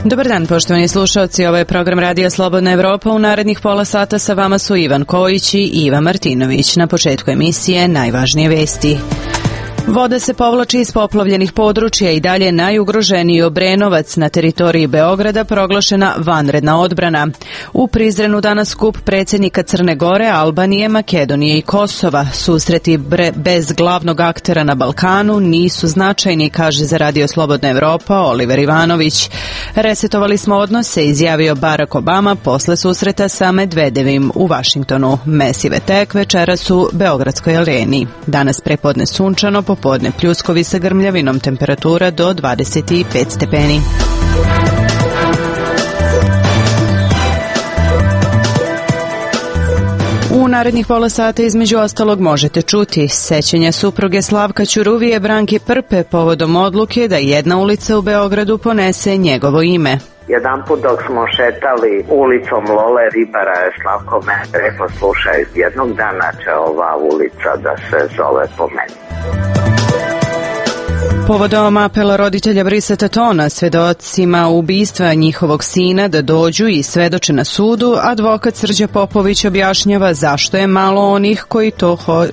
Dobar dan, poštovani slušalci, ovo je program Radija Slobodna Evropa. U narednih pola sata sa vama su Ivan Kojić i Iva Martinović. Na početku emisije najvažnije vesti. Voda se povlači iz poplavljenih područja i dalje najugroženiji Obrenovac. Na teritoriji Beograda proglašena vanredna odbrana. U Prizrenu danas skup predsjednika Crne Gore, Albanije, Makedonije i Kosova. Susreti bez glavnog aktera na Balkanu nisu značajni, kaže za Radio Slobodna Evropa Oliver Ivanović. Resetovali smo odnose, izjavio Barack Obama posle susreta sa Medvedevim u Vašingtonu. Mesive tek večeras u Beogradskoj areni. Danas prepodne sunčano, popodne pljuskovi sa grmljavinom, temperatura do 25 stepeni. U narednih pola sata između ostalog možete čuti sećanja supruge Slavka Ćuruvije Branke Prpe povodom odluke da jedna ulica u Beogradu ponese njegovo ime. Jedanput dok smo šetali ulicom Lole Ribara, Slavko me rekao, slušaj, jednog dana će ova ulica da se zove po meni. Povodom apela roditelja Brisa Tatona svedocima ubistva njihovog sina da dođu i svedoče na sudu, advokat Srđa Popović objašnjava zašto je malo onih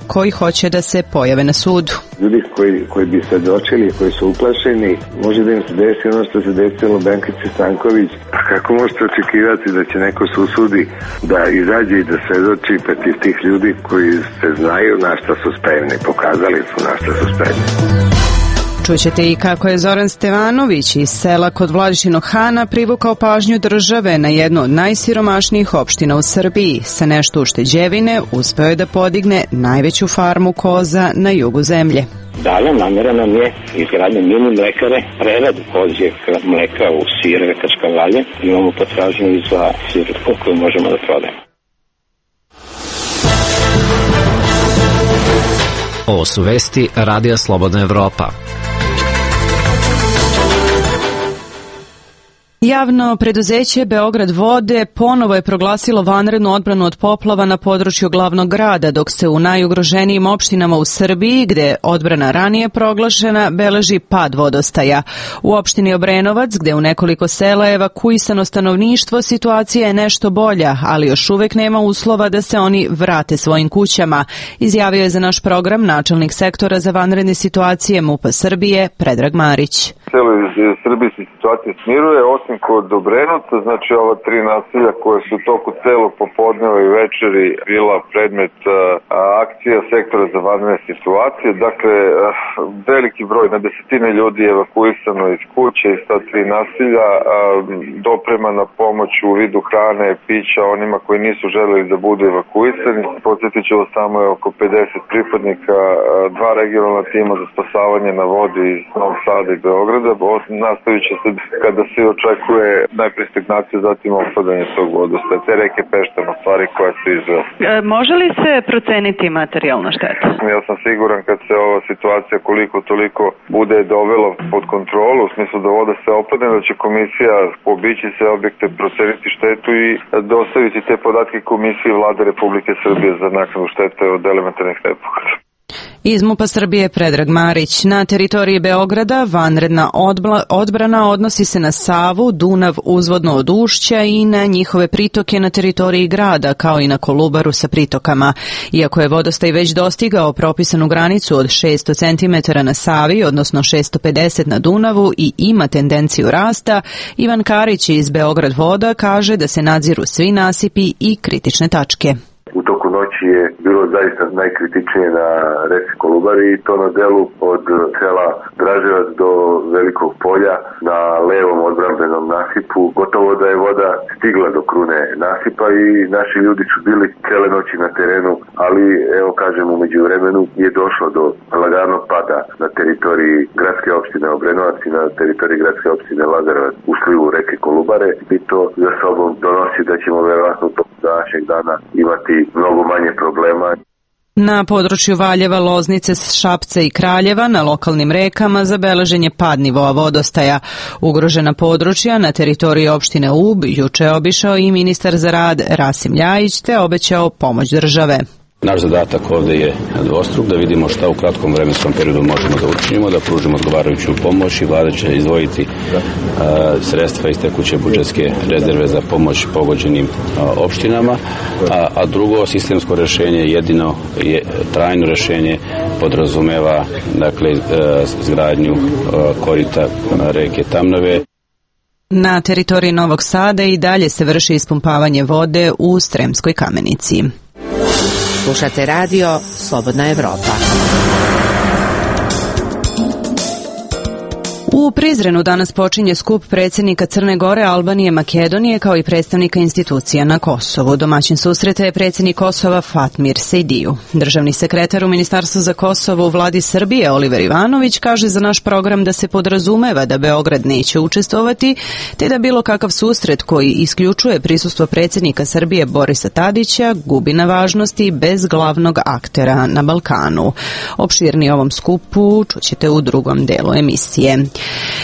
koji hoće da se pojave na sudu. Ljudi koji bi svedočili, koji su uplašeni, može da im se desi ono što se desilo Benkici Stanković. A kako možete očekivati da će neko se usudi da izađe i da svedoči protiv tih ljudi koji se znaju na šta su spremni, pokazali su na šta su spremni. Čućete i kako je Zoran Stevanović iz sela kod Vladičinog Hana privukao pažnju države na jednu od najsiromašnijih opština u Srbiji. Sa nešto ušteđevine uspeo je da podigne najveću farmu koza na jugu zemlje. Dalje namjera nam je izgradnja mini mlekare, preradu kozjeg mleka u sireve kačkavalje. Imamo potražnju i za sir koju možemo da prodajemo. Ovo su vesti Radija Slobodna Evropa. Javno preduzeće Beograd vode ponovo je proglasilo vanrednu odbranu od poplava na području glavnog grada, dok se u najugroženijim opštinama u Srbiji, gde je odbrana ranije proglašena, beleži pad vodostaja. U opštini Obrenovac, gde u nekoliko sela je evakuisano stanovništvo, situacija je nešto bolja, ali još uvek nema uslova da se oni vrate svojim kućama, izjavio je za naš program načelnik sektora za vanredne situacije MUP-a Srbije, Predrag Marić. Celoj Srbiji se situacija smiruje, osim kod Obrenovca, znači ova tri naselja koje su u toku celog popodneva i večeri bila predmet akcija sektora za vanredne situacije. Dakle, veliki broj, na desetine ljudi je evakuisano iz kuće iz ta tri naselja, dopremana pomoć u vidu hrane, pića onima koji nisu želeli da budu evakuisani. Podsjetit ću vas, samo je oko 50 pripadnika, dva regionalna tima za spasavanje na vodi iz Novog Sada i Beograda. Nastavit će se kada se očekuje najprije stagnacija, zatim opadanje tog vodostaja, te reke Peštama, stvari koje se izvela. Može li se proceniti materijalna šteta? Ja sam siguran kad se ova situacija koliko toliko bude dovela pod kontrolu, u smislu da voda se opadne, da će komisija obići sve objekte, proceniti štetu i dostaviti te podatke komisiji Vlade Republike Srbije za naknadu štete od elementarnih nepogoda. Iz MUP-a Srbije Predrag Marić. Na teritoriji Beograda vanredna odbrana odnosi se na Savu, Dunav uzvodno od Ušća i na njihove pritoke na teritoriji grada, kao i na Kolubaru sa pritokama. Iako je vodostaj već dostigao propisanu granicu od 600 cm na Savi, odnosno 650 na Dunavu i ima tendenciju rasta, Ivan Karić iz Beograd voda kaže da se nadziru svi nasipi i kritične tačke. U toku noći je bilo zaista najkritičnije na reci Kolubari i to na delu od sela Draževac do Velikog polja na levom odbrambenom nasipu. Gotovo da je voda stigla do krune nasipa i naši ljudi su bili cele noći na terenu, ali evo kažem, u međuvremenu je došlo do laganog pada na teritoriji gradske opštine Obrenovac i na teritoriji gradske opštine Lazarevac u slivu reke Kolubare i to za sobom donosi da ćemo verovatno tokom današnjeg dana imati mnogo manje problema. Na području Valjeva, Loznice, Šapca i Kraljeva na lokalnim rekama zabeležen je pad nivoa vodostaja. Ugrožena područja na teritoriji opštine Ub juče obišao i ministar za rad Rasim Ljajić te obećao pomoć države. Naš zadatak ovdje je dvostruk, da vidimo šta u kratkom vremenskom periodu možemo da učinimo, da pružimo odgovarajuću pomoć i vlada će izdvojiti sredstva iz tekuće budžetske rezerve za pomoć pogođenim opštinama, a drugo sistemsko rješenje, jedino je trajno rješenje, podrazumeva izgradnju korita reke Tamnave. Na teritoriji Novog Sada i dalje se vrši ispumpavanje vode u Sremskoj Kamenici. Slušate radio Slobodna Evropa. U Prizrenu danas počinje skup predsjednika Crne Gore, Albanije, Makedonije kao i predstavnika institucija na Kosovu. Domaćin susreta je predsjednik Kosova Fatmir Sejdiju. Državni sekretar u Ministarstvu za Kosovo u vladi Srbije Oliver Ivanović kaže za naš program da se podrazumeva da Beograd neće učestvovati, te da bilo kakav susret koji isključuje prisustvo predsjednika Srbije Borisa Tadića gubi na važnosti bez glavnog aktera na Balkanu. Opširnije o ovom skupu čućete u drugom delu emisije.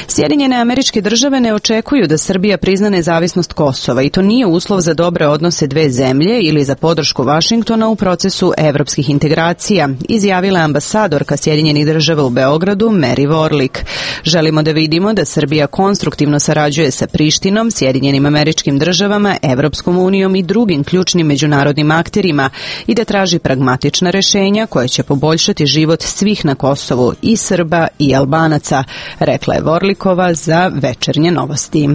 Sjedinjene Američke Države ne očekuju da Srbija prizna nezavisnost Kosova i to nije uslov za dobre odnose dve zemlje ili za podršku Vašingtona u procesu evropskih integracija, izjavila ambasadorka Sjedinjenih Država u Beogradu Mary Warlick. Želimo da vidimo da Srbija konstruktivno sarađuje sa Prištinom, Sjedinjenim Američkim Državama, Evropskom unijom i drugim ključnim međunarodnim akterima i da traži pragmatična rješenja koja će poboljšati život svih na Kosovu, i Srba i Albanaca, rekla je Vorlikova za Večernje novosti.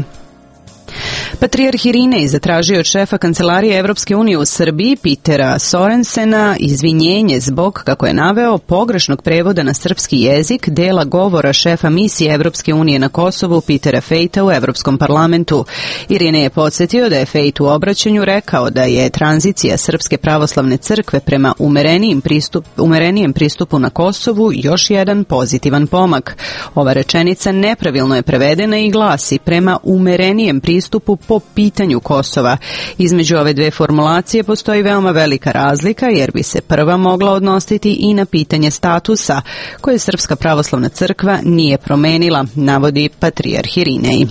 Patrijarh Irinej zatražio od šefa Kancelarije Evropske unije u Srbiji Petera Sorensena izvinjenje zbog, kako je naveo, pogrešnog prevoda na srpski jezik dela govora šefa misije Evropske unije na Kosovu Petera Fejta u Evropskom parlamentu. Irinej je podsjetio da je Fejt u obraćanju rekao da je tranzicija Srpske pravoslavne crkve prema umerenijem pristupu na Kosovu još jedan pozitivan pomak. Ova rečenica nepravilno je prevedena i glasi prema umerenijem pristupu po pitanju Kosova. Između ove dve formulacije postoji veoma velika razlika, jer bi se prva mogla odnositi i na pitanje statusa koje Srpska pravoslavna crkva nije promenila, navodi patrijarh Irinej.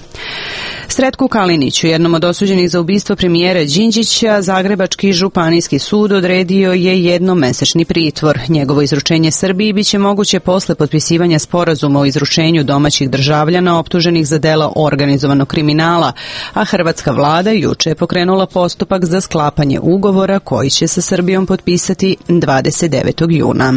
Sretku Kaliniću, jednom od osuđenih za ubistvo premijera Đinđića, Zagrebački županijski sud odredio je jednomesečni pritvor. Njegovo izručenje Srbiji biće moguće posle potpisivanja sporazuma o izručenju domaćih državljana optuženih za dela organizovanog kriminala, a hrvatska vlada juče je pokrenula postupak za sklapanje ugovora koji će sa Srbijom potpisati 29. juna.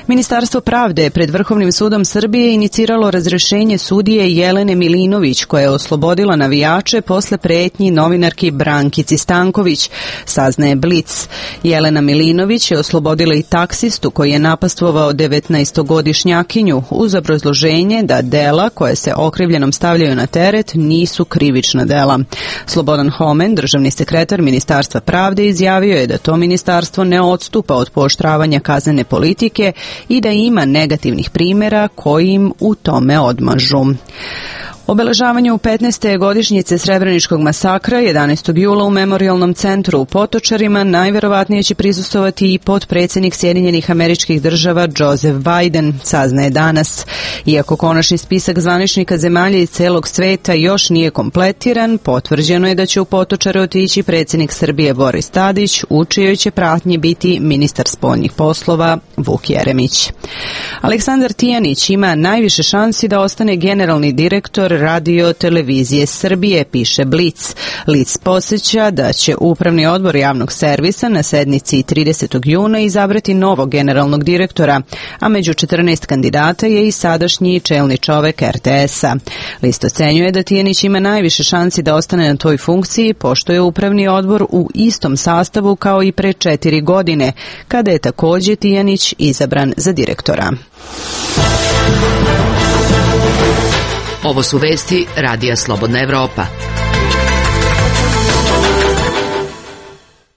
Ministarstvo pravde je pred Vrhovnim sudom Srbije iniciralo razrešenje sudije Jelene Milinović, koja je oslobodila navijače posle pretnji novinarki Brankici Stanković, saznaje Blic. Jelena Milinović je oslobodila i taksistu koji je napastvovao 19-godišnjakinju uz obrazloženje da dela koje se okrivljenom stavljaju na teret nisu krivična dela. Slobodan Homen, državni sekretar Ministarstva pravde, izjavio je da to ministarstvo ne odstupa od pooštravanja kaznene politike i da ima negativnih primjera koji im u tome odmažu. Obeležavanju 15. godišnjice Srebreničkog masakra 11. jula u Memorijalnom centru u Potočarima najverovatnije će prisustvovati i potpredsjednik Sjedinjenih Američkih Država Joseph Biden, saznaje danas. Iako konačni spisak zvaničnika zemalja iz celog sveta još nije kompletiran, potvrđeno je da će u Potočare otići predsjednik Srbije Boris Tadić, u čijoj će pratnji biti ministar spoljnih poslova Vuk Jeremić. Aleksandar Tijanić ima najviše šansi da ostane generalni direktor Radio televizije Srbije, piše Blic. Blic podsjeća da će Upravni odbor javnog servisa na sednici 30. juna izabrati novog generalnog direktora, a među 14 kandidata je i sadašnji čelni čovek RTS-a. List ocenjuje da Tijanić ima najviše šansi da ostane na toj funkciji, pošto je Upravni odbor u istom sastavu kao i pre 4 godine, kada je također Tijanić izabran za direktora. Ovo su vesti Radija Slobodna Evropa.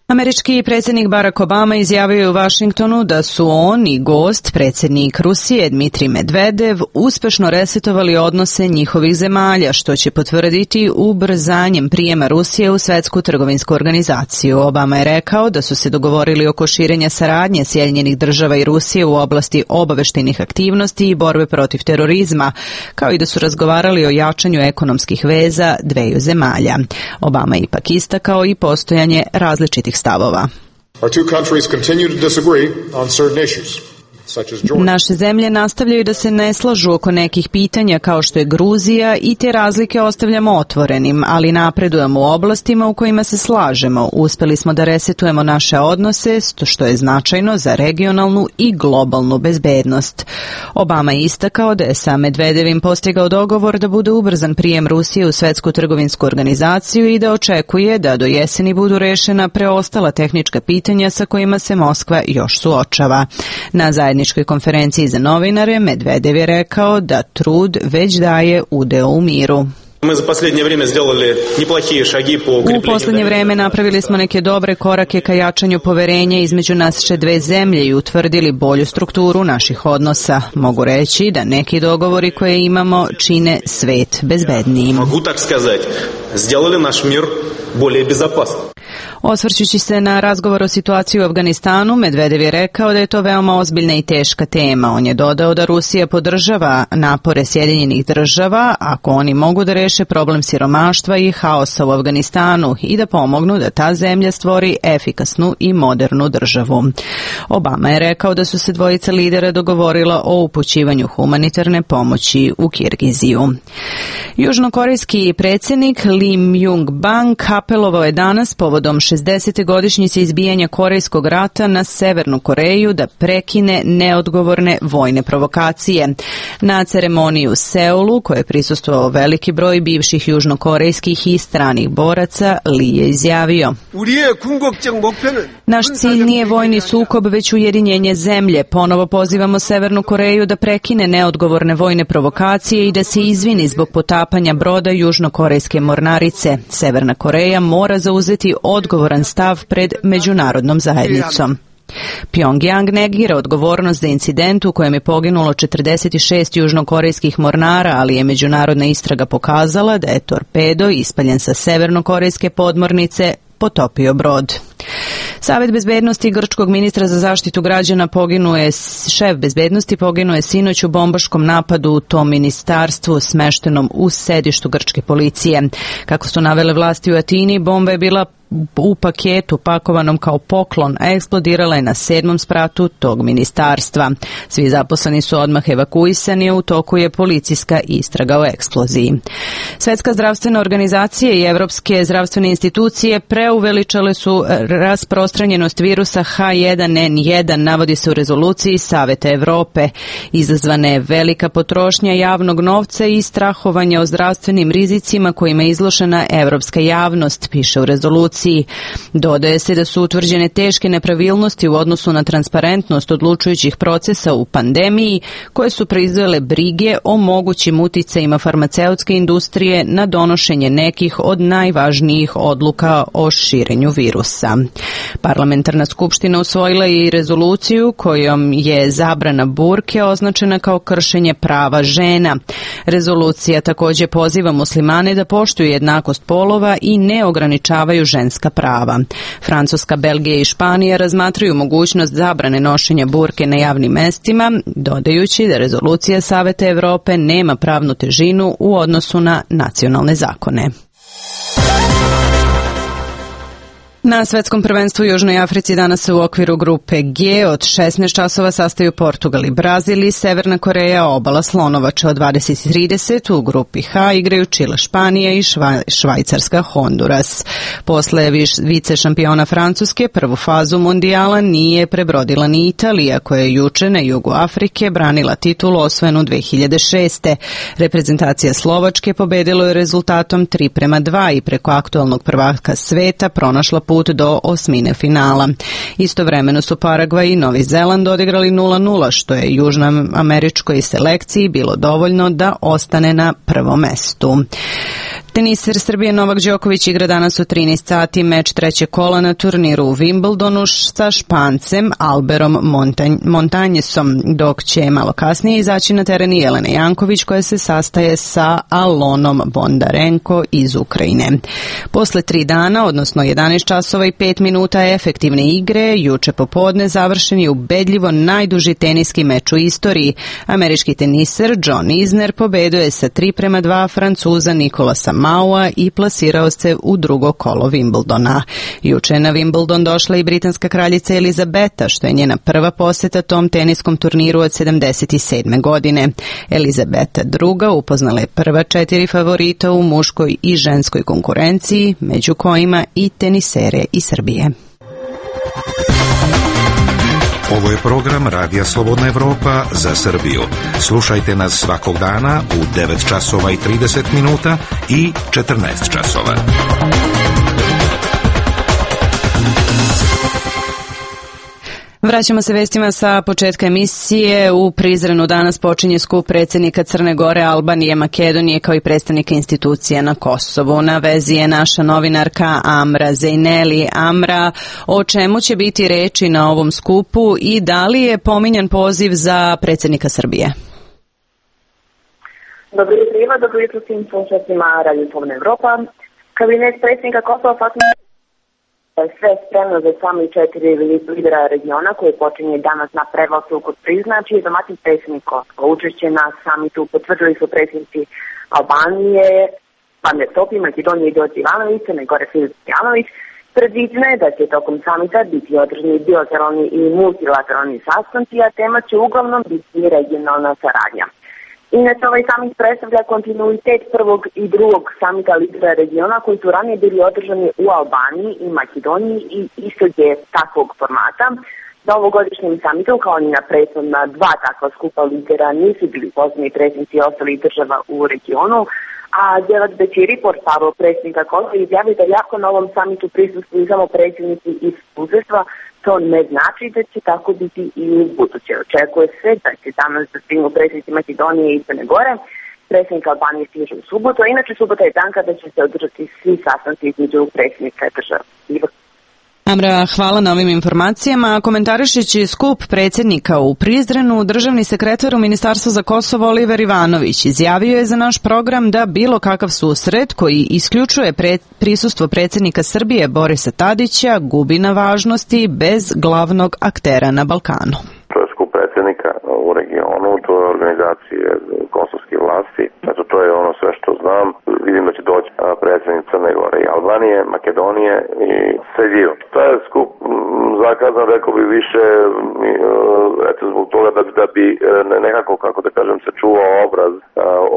Američki predsjednik Barack Obama izjavio je u Vašingtonu da su on i gost, predsjednik Rusije Dmitrij Medvedev, uspešno resetovali odnose njihovih zemalja, što će potvrditi ubrzanjem prijema Rusije u Svetsku trgovinsku organizaciju. Obama je rekao da su se dogovorili oko širenja saradnje Sjedinjenih Država i Rusije u oblasti obaveštajnih aktivnosti i borbe protiv terorizma, kao i da su razgovarali o jačanju ekonomskih veza dveju zemalja. Obama je ipak istakao i postojanje različitih stavova. Our two countries continue to disagree on certain issues. Naše zemlje nastavljaju da se ne slažu oko nekih pitanja kao što je Gruzija i te razlike ostavljamo otvorenim, ali napredujemo u oblastima u kojima se slažemo. Uspeli smo da resetujemo naše odnose, što je značajno za regionalnu i globalnu bezbednost. Obama je istakao da je sa Medvedevim postigao dogovor da bude ubrzan prijem Rusije u Svetsku trgovinsku organizaciju i da očekuje da do jeseni budu rešena preostala tehnička pitanja sa kojima se Moskva još suočava. Na zajedničkoj konferenciji za novinare Medvedev je rekao da trud već daje udeo u miru. U poslednje vreme napravili smo neke dobre korake ka jačanju poverenja između naše dve zemlje i utvrdili bolju strukturu naših odnosa. Mogu reći da neki dogovori koje imamo čine svet bezbednijim. Osvrćući se na razgovor o situaciji u Afganistanu, Medvedev je rekao da je to veoma ozbiljna i teška tema. On je dodao da Rusija podržava napore Sjedinjenih država ako oni mogu da reše problem siromaštva i haosa u Afganistanu i da pomognu da ta zemlja stvori efikasnu i modernu državu. Obama je rekao da su se dvojica lidera dogovorila o upućivanju humanitarne pomoći u Kirgiziju. Južnokorejski predsjednik Lee Myung-bak apelovao je danas povodom 60. godišnjice izbijanja Korejskog rata na Severnu Koreju da prekine neodgovorne vojne provokacije. Na ceremoniji u Seulu, koje je prisustvovao veliki broj bivših južnokorejskih i stranih boraca, Lee je izjavio: Naš cilj nije vojni sukob, već ujedinjenje zemlje. Ponovo pozivamo Severnu Koreju da prekine neodgovorne vojne provokacije i da se izvini zbog potapanja broda južnokorejske mornarice. Severna Koreja mora zauzeti odgovoran stav pred međunarodnom zajednicom. Pyongyang negira odgovornost za incident u kojem je poginulo 46 južnokorejskih mornara, ali je međunarodna istraga pokazala da je torpedo ispaljen sa severnokorejske podmornice potopio brod. Savet bezbednosti grčkog ministra za zaštitu građana šef bezbednosti poginuo je sinoć u bombaškom napadu u tom ministarstvu smeštenom u sedištu grčke policije. Kako su navele vlasti u Atini, bomba je bila u paketu pakovanom kao poklon, a eksplodirala je na 7. spratu tog ministarstva. Svi zaposleni su odmah evakuisani, a u toku je policijska istraga o eksploziji. Svetska zdravstvena organizacija i evropske zdravstvene institucije preuveličale su rasprostranjenost virusa H1N1, navodi se u rezoluciji Saveta Evrope. Izazvana je velika potrošnja javnog novca i strahovanje o zdravstvenim rizicima kojima je izložena evropska javnost, piše u rezoluciji. Dodaje se da su utvrđene teške nepravilnosti u odnosu na transparentnost odlučujućih procesa u pandemiji, koje su proizvele brige o mogućim uticajima farmaceutske industrije na donošenje nekih od najvažnijih odluka o širenju virusa. Parlamentarna skupština usvojila je i rezoluciju kojom je zabrana burke označena kao kršenje prava žena. Rezolucija također poziva muslimane da poštuju jednakost polova i ne ograničavaju ženska prava. Francuska, Belgija i Španija razmatraju mogućnost zabrane nošenja burke na javnim mestima, dodajući da rezolucija Saveta Evrope nema pravnu težinu u odnosu na nacionalne zakone. Na svetskom prvenstvu u Južnoj Africi danas se u okviru grupe G od 16 časova sastaju Portugal i Brazil i Severna Koreja, Obala Slonovača. Od 20:30 u grupi H igraju Čile, Španija i Švajcarska, Honduras. Posle vice šampiona Francuske prvu fazu mundijala nije prebrodila ni Italija, koja je juče na jugu Afrike branila titulu osvojenu 2006. Reprezentacija Slovačke pobedila je rezultatom 3:2 i preko aktualnog prvaka sveta pronašla put do osmine finala. Istovremeno su Paragvaj i Novi Zeland odigrali 0:0, što je južnoameričkoj selekciji bilo dovoljno da ostane na prvom mestu. Teniser Srbije Novak Đoković igra danas u 13 sati meč trećeg kola na turniru u Wimbledonu sa Špancem Alberom Montanjesom, dok će malo kasnije izaći na teren i Jelena Janković, koja se sastaje sa Alonom Bondarenko iz Ukrajine. Posle 3 dana, odnosno 11 časova i 5 minuta efektivne igre, juče popodne završen je ubedljivo najduži teniski meč u istoriji. Američki teniser John Isner pobedio je sa 3:2 Francuza Nikolasa Maua i plasirao se u drugo kolo Wimbledona. Juče je na Wimbledon došla i britanska kraljica Elizabeta, što je njena prva poseta tom teniskom turniru od 77. godine. Elizabeta II upoznala je prva 4 favorita u muškoj i ženskoj konkurenciji, među kojima i tenisere iz Srbije. Ovo je program Radija Slobodna Evropa za Srbiju. Slušajte nas svakog dana u 9 časova i 30 minuta i 14 časova. Vraćamo se vestima sa početka emisije. U Prizrenu danas počinje skup predsjednika Crne Gore, Albanije, Makedonije kao i predstavnika institucija na Kosovu. Na vezi je naša novinarka Amra Zejneli. Amra, o čemu će biti reči na ovom skupu i da li je pominjan poziv za predsjednika Srbije? Dobro jutro, Iva, dobro jutro svim slušateljima Radio Slobodna Evropa. Kabinet predsjednika Kosova sve spremno za sami 4 lidera regiona koji počinje danas na Prevlasu kod Prizna, čiji je domaćin predsjednik Kosova. Učešće na samitu potvrdili su predsjednici Albanije, Pamet Topi, Makedonije i Đorđe Ivanović, Crne Gore Filip Stojanović. Predviđeno je da će tokom samita biti održani bilateralni i multilateralni sastanci, a tema će uglavnom biti regionalna saradnja. Inače, ovaj samit predstavlja kontinuitet prvog i drugog samita lidera regiona koji su ranije bili održani u Albaniji i Makedoniji i istog je takvog formata. Na ovogodišnjem samitu, kao i na prethodna 2 takva skupa lidera, nisu bili pozvani predsjednici ostalih država u regionu, a Djelat Bećiri, portparol predsjednika Kosova, izjavio da jako na ovom samitu prisustvuju samo predsjednici iz susjedstva. To ne znači da će tako biti i u buduće. Očekuje se da će danas da stignu predsjednici Makedonije i Crne Gore. Predsjednik Albanije stiže u subotu, a inače subota je dan kada će se održati svi sastanci između predsjednika država. Amra, hvala na ovim informacijama. Komentarišući skup predsjednika u Prizrenu, državni sekretar u Ministarstvu za Kosovo Oliver Ivanović izjavio je za naš program da bilo kakav susret koji isključuje prisustvo predsjednika Srbije Borisa Tadića gubi na važnosti bez glavnog aktera na Balkanu. To je skup predsjednika u regionu, to je organizacije kosovske vlasti. Znači, to je ono sve što znam. Vidim da će doći predsjednik Crne Gore i Albanije, Makedonije i Srbije. To je skup zakazan, rekao bi više, eto zbog toga da bi nekako, kako da kažem, se čuvao obraz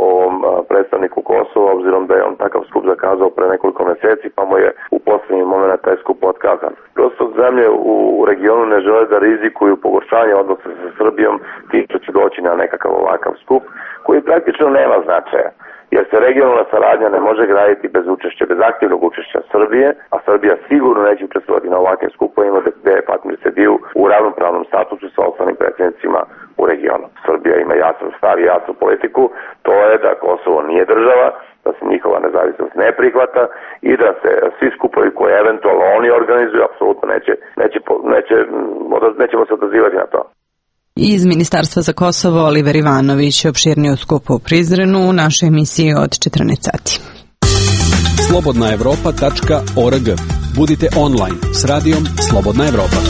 ovom predstavniku Kosova, obzirom da je on takav skup zakazao pre nekoliko mjeseci, pa mu je u posljednji moment taj skup otkazan. Prosto zemlje u regionu ne žele da rizikuju pogoršanje odnosa sa Srbijom, ti što će doći na nekakav ovakav skup, koji praktično nema značaja. Jer se regionalna saradnja ne može graditi bez učešća, bez aktivnog učešća Srbije, a Srbija sigurno neće učestvovati na ovakvim skupovima gdje je partneri sediju u ravnopravnom statusu sa ostalim predsjednicima u regionu. Srbija ima jasan stav i jasnu politiku, to je da Kosovo nije država, da se njihova nezavisnost ne prihvata i da se svi skupovi koje eventualno oni organizuju apsolutno nećemo se odazivati na to. Iz Ministarstva za Kosovo Oliver Ivanović opširnije o skupu u Prizrenu u našoj emisiji od 14 sati. slobodnaevropa.org. Budite online s radijom Slobodna Evropa.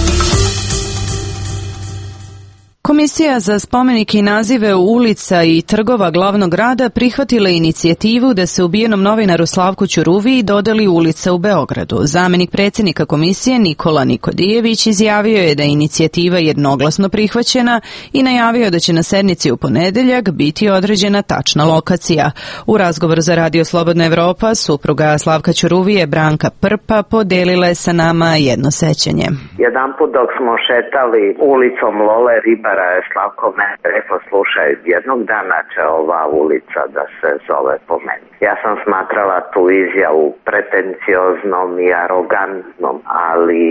Komisija za spomenike i nazive ulica i trgova glavnog grada prihvatila inicijativu da se ubijenom novinaru Slavku Ćuruviji dodeli ulica u Beogradu. Zamenik predsjednika komisije Nikola Nikodijević izjavio je da je inicijativa jednoglasno prihvaćena i najavio da će na sednici u ponedeljak biti određena tačna lokacija. U razgovoru za Radio Slobodna Evropa supruga Slavka Ćuruvije Branka Prpa podelila je sa nama jedno sećanje. Jedanput dok smo šetali ulicom Lole Ribara, Slavko me rekao, slušaj, jednog dana će ova ulica da se zove po meni. Ja sam smatrala tu izjavu pretencioznom i arogantnom, ali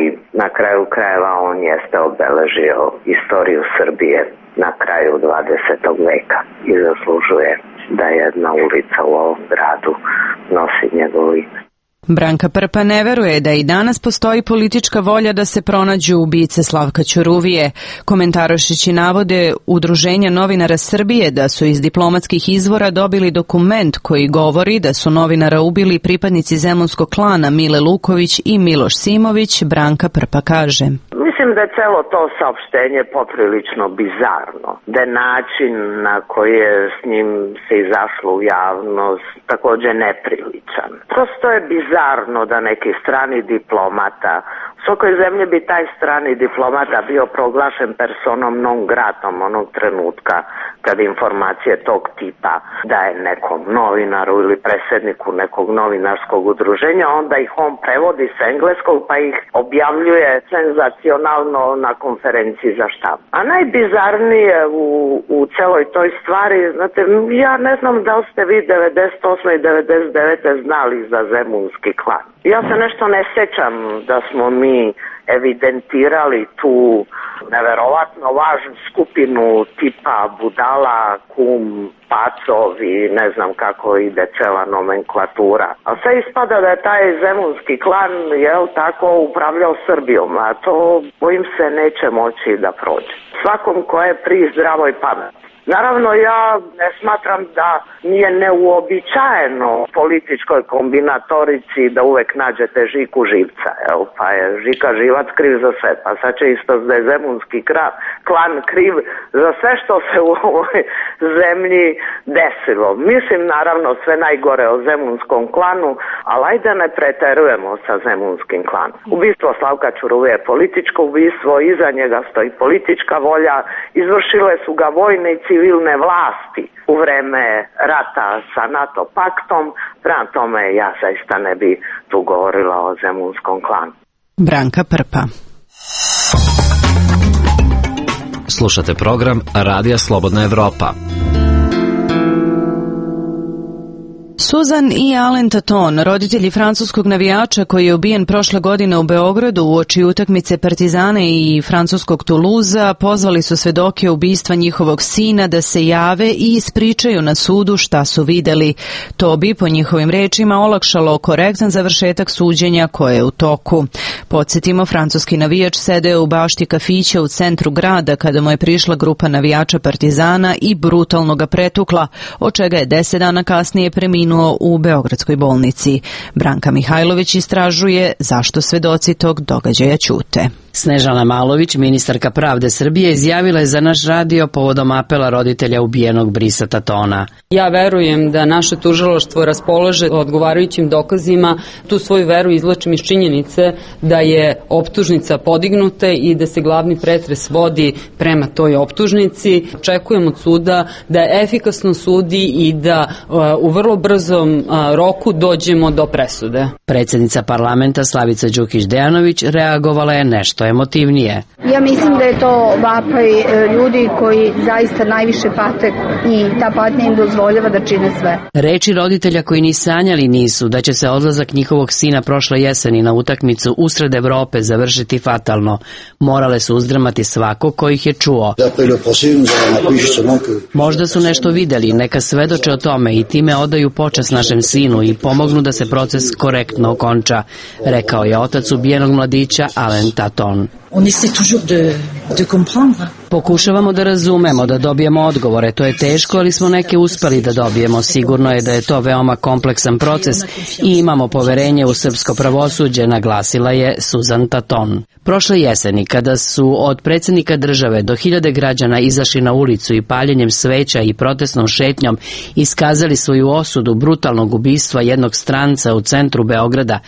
na kraju krajeva on jeste obeležio istoriju Srbije na kraju 20. veka i zaslužuje da jedna ulica u ovom gradu nosi njegovo ime. Branka Prpa ne veruje da i danas postoji politička volja da se pronađu ubice Slavka Ćuruvije. Komentarišući navode Udruženja novinara Srbije da su iz diplomatskih izvora dobili dokument koji govori da su novinara ubili pripadnici zemunskog klana Mile Luković i Miloš Simović, Branka Prpa kaže. Mislim da je celo to saopštenje poprilično bizarno, da je način na koji je s njim se izašlo u javnost takođe nepriličan. Prosto je bizarno da neki strani diplomata, u svakoj zemlji bi taj strani diplomata bio proglašen personom non gratom onog trenutka kad informacije tog tipa daje nekom novinaru ili predsjedniku nekog novinarskog udruženja, onda ih on prevodi s engleskog pa ih objavljuje senzacionalno na konferenciji za štab. A najbizarnije u celoj toj stvari, znate, ja ne znam da li ste vi 98. i 99. znali za zemunski klan. Ja se nešto ne sjećam da smo mi evidentirali tu neverovatno važnu skupinu tipa budala, kum, pacov i ne znam kako ide cela nomenklatura. A sve ispada da je taj zemunski klan, tako upravljao Srbijom, a to bojim se neće moći da prođe. Svakom ko je pri zdravoj pameti. Naravno, ja ne smatram da nije neuobičajeno političkoj kombinatorici da uvek nađete Žiku živca, pa je Žika živac kriv za sve, pa sad će isto da je zemunski klan kriv za sve što se u ovoj zemlji desilo. Mislim naravno sve najgore o zemunskom klanu, ali ajde ne preterujemo sa zemunskim klanom. Ubistvo Slavka Ćuruvije je političko ubistvo, iza njega stoji politička volja, izvršile su ga vojne i civilne vlasti u vreme rata sa NATO paktom, prema tome ja zaista ne bi tu govorila o zemunskom klanu. Branka Prpa. Slušate program Radija Slobodna Evropa. Susan i Alain Taton, roditelji francuskog navijača koji je ubijen prošle godine u Beogradu uoči utakmice Partizana i francuskog Tuluza, pozvali su svedoke ubistva njihovog sina da se jave i ispričaju na sudu šta su videli. To bi, po njihovim rečima, olakšalo korektan završetak suđenja koje je u toku. Podsjetimo, francuski navijač sedeo u bašti kafića u centru grada kada mu je prišla grupa navijača Partizana i brutalno ga pretukla, od čega je 10 dana kasnije preminuo u Beogradskoj bolnici. Branka Mihajlović istražuje zašto svedoci tog događaja ćute. Snežana Malović, ministarka pravde Srbije, izjavila je za naš radio povodom apela roditelja ubijenog Brisa Tatona. Ja verujem da naše tužilaštvo raspolaže odgovarajućim dokazima. Tu svoju veru izvlačim iz činjenice da je optužnica podignuta i da se glavni pretres vodi prema toj optužnici. Očekujem od suda da efikasno sudi i da u vrlo brzom roku dođemo do presude. Predsjednica parlamenta Slavica Đukić-Dejanović reagovala je nešto emotivnije. Ja mislim da je to vapaj ljudi koji zaista najviše pate i ta patnja im dozvoljava da čine sve. Reči roditelja koji ni sanjali nisu da će se odlazak njihovog sina prošle jeseni na utakmicu usred Evrope završiti fatalno. Morale su uzdrmati svako ko ih je čuo. Možda su nešto videli, neka svedoče o tome i time odaju počast našem sinu i pomognu da se proces korektno okonča, rekao je otac ubijenog mladića Alain Taton. Pokušavamo da razumemo, da dobijemo odgovore. To je teško, ali smo neke uspeli da dobijemo. Sigurno je da je to veoma kompleksan proces i imamo poverenje u srpsko pravosuđe, naglasila je Susan Taton. Prošle jeseni, kada su od predsjednika države do 1000 građana izašli na ulicu i paljenjem sveća i protestnom šetnjom iskazali svoju osudu brutalnog ubistva jednog stranca u centru Beograda,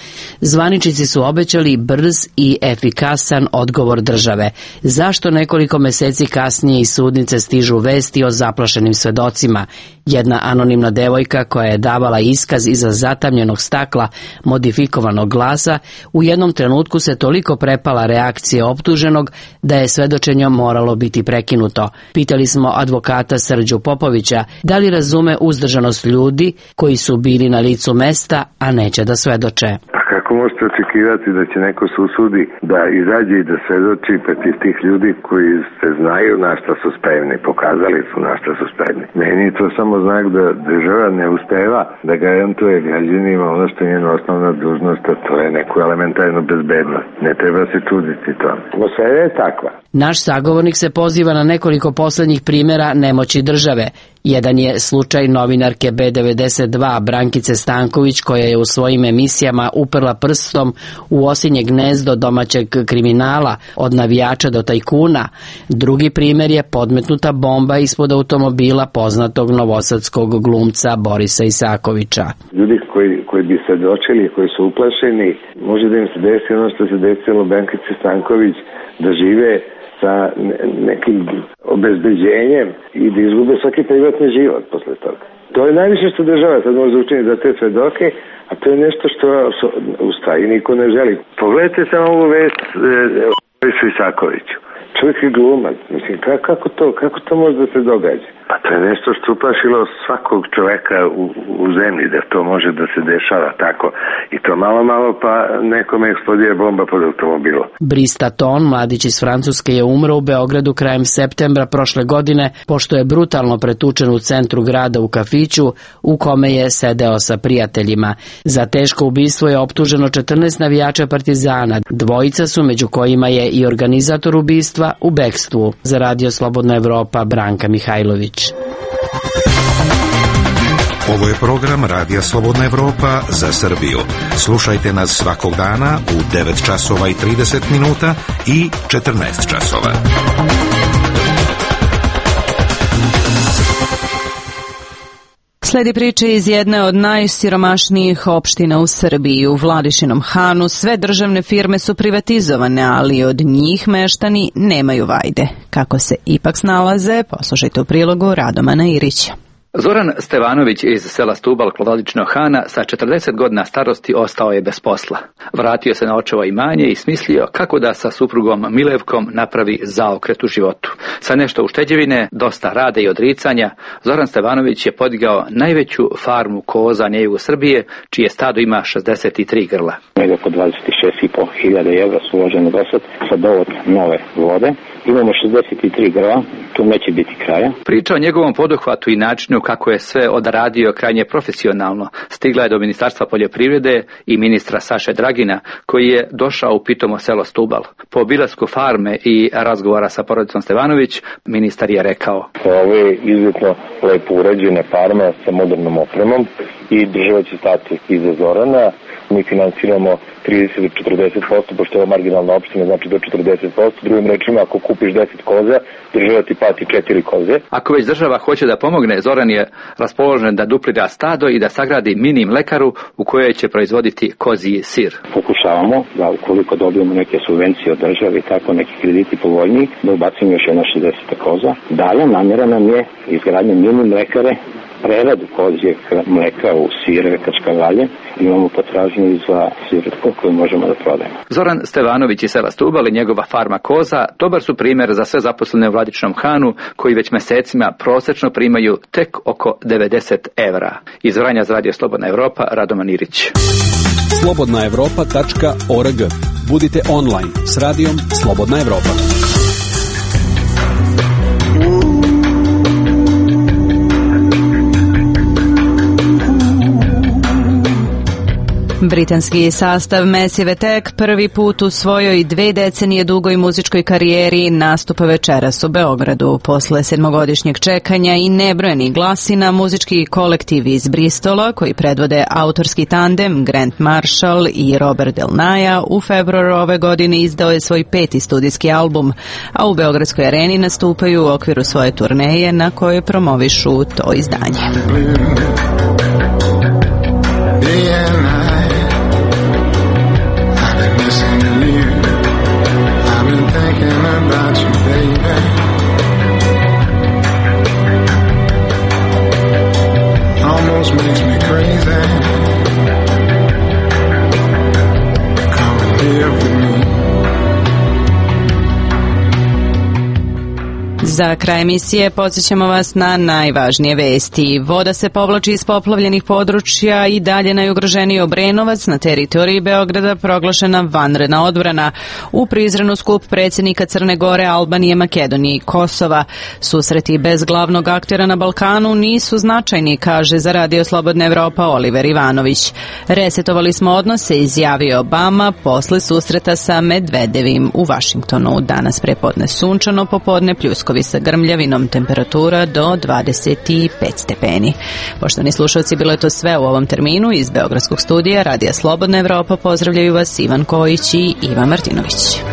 zvaničnici su obećali brz i efikasan odgovor države. Zašto nekoliko meseci kasnije iz sudnice stižu vesti o zaplašenim svedocima? Jedna anonimna devojka koja je davala iskaz iza zatamljenog stakla modifikovanog glasa u jednom trenutku se toliko prepala reakcije optuženog da je svedočenje moralo biti prekinuto. Pitali smo advokata Srđu Popovića da li razume uzdržanost ljudi koji su bili na licu mesta, a neće da svedoče. Kako možete očekivati da će neko se usudi da izađe i da svedoči protiv tih ljudi koji se znaju na šta su spremni, pokazali su na šta su spremni. Meni je to samo znak da država ne uspeva da garantuje građanima ono što je njena osnovna dužnost, a to je neku elementarnu bezbednost. Ne treba se čuditi tome. Atmosfera je takva. Naš sagovornik se poziva na nekoliko poslednjih primjera nemoći države. Jedan je slučaj novinarke B92 Brankice Stanković koja je u svojim emisijama uprla prstom u osinje gnezdo domaćeg kriminala, od navijača do tajkuna. Drugi primjer je podmetnuta bomba ispod automobila poznatog novosadskog glumca Borisa Isakovića. Ljudi koji bi svedočili, koji su uplašeni, može da im se desi ono što se desilo Benkici Stanković, da žive sa nekim obezbeđenjem i da izgube svaki privatni život posle toga. To je najviše što država sad može učiniti za te svedoke, a to je nešto što u stvari niko ne želi. Pogledajte samo ovu vest Borisu Isakoviću. Čovjek je glumac. Mislim, kako to može da se događa? Pa to je nešto što uplašilo svakog čoveka u zemlji, da to može da se dešava tako. I to malo pa nekome eksplodira bomba pod automobilom. Brice Taton, mladić iz Francuske, je umro u Beogradu krajem septembra prošle godine, pošto je brutalno pretučen u centru grada u kafiću u kome je sedeo sa prijateljima. Za teško ubistvo je optuženo 14 navijača Partizana. Dvojica su, među kojima je i organizator ubistva, u bekstvu. Za Radio Slobodna Evropa, Branka Mihajlović. Ovo je program Radija Slobodna Evropa za Srbiju. Slušajte nas svakog dana u 9 časova i 30 minuta i 14 časova. Sledi priče iz jedne od najsiromašnijih opština u Srbiji. U Vladišinom Hanu sve državne firme su privatizovane, ali od njih meštani nemaju vajde. Kako se ipak snalaze, poslušajte u prilogu Radomana Irića. Zoran Stevanović iz sela Stubal kod Vladičinog Hana sa 40 godina starosti ostao je bez posla. Vratio se na očevo imanje i smislio kako da sa suprugom Milevkom napravi zaokret u životu. Sa nešto ušteđevine, dosta rada i odricanja, Zoran Stevanović je podigao najveću farmu koza na jugu Srbije, čije stado ima 63 grla. Nego oko 26.500 evra su uložene do sad sa dovod nove vode. Imamo 63 grla, tu neće biti kraja. Priča o njegovom poduhvatu i načinu kako je sve odradio krajnje profesionalno stigla je do Ministarstva poljoprivrede i ministra Saše Dragina, koji je došao u pitomo selo Stubal. Po obilasku farme i razgovora sa porodicom Stevanović, ministar je rekao: Ovo je izuzetno lepo urađena farma sa modernom opremom i država će stati iza Zorana. Mi finansiramo 30 do 40%, pošto je ovo marginalna opština, znači do 40%. Drugim rečima, ako kupiš 10 koza, država ti plati 4 koze. Ako već država hoće da pomogne, Zoran je raspoložen da duplira stado i da sagradi mini mlekaru u kojoj će proizvoditi kozji sir. Pokušavamo da ukoliko dobijemo neke subvencije od države i tako neki krediti povoljniji, da ubacimo još jedno 60 koza. Dalje namjera nam je izgradnja mini mlekare, preradu kozjeg mleka u sire, kačkavalje. Imamo potražnju i za siretku koju možemo da prodajemo. Zoran Stevanović iz sela Stubal i njegova farma koza dobar su primjer za sve zaposlene u Vladičinom Hanu, koji već mesecima prosečno primaju tek oko 90 evra. Iz Vranja za Radio Slobodna Evropa, Radoman Irić. slobodnaevropa.org. Budite online s radijom Slobodna Evropa. Britanski sastav Massive Attack prvi put u svojoj 2 decenije dugoj muzičkoj karijeri nastupa večeras u Beogradu. Posle 7-godišnjeg čekanja i nebrojenih glasina, muzički kolektiv iz Bristola, koji predvode autorski tandem Grant Marshall i Robert Del Naja, u februaru ove godine izdao je svoj 5. studijski album, a u Beogradskoj areni nastupaju u okviru svoje turneje na kojoj promovišu to izdanje. Makes me crazy. Come and live with me. Za kraj emisije podsjećamo vas na najvažnije vesti. Voda se povlači iz poplavljenih područja i dalje najugroženiji Obrenovac, na teritoriji Beograda proglašena vanredna odbrana. U Prizrenu skup predsjednika Crne Gore, Albanije, Makedonije i Kosova. Susreti bez glavnog aktera na Balkanu nisu značajni, kaže za Radio Slobodna Evropa Oliver Ivanović. Resetovali smo odnose, izjavio Obama posle susreta sa Medvedevim u Vašingtonu. Danas prepodne sunčano, popodne pljuskovi sa grmljavinom, temperatura do 25 stepeni. Poštovani slušalci, bilo je to sve u ovom terminu. Iz Beogradskog studija Radija Slobodna Evropa pozdravljaju vas Ivan Kojić i Iva Martinović.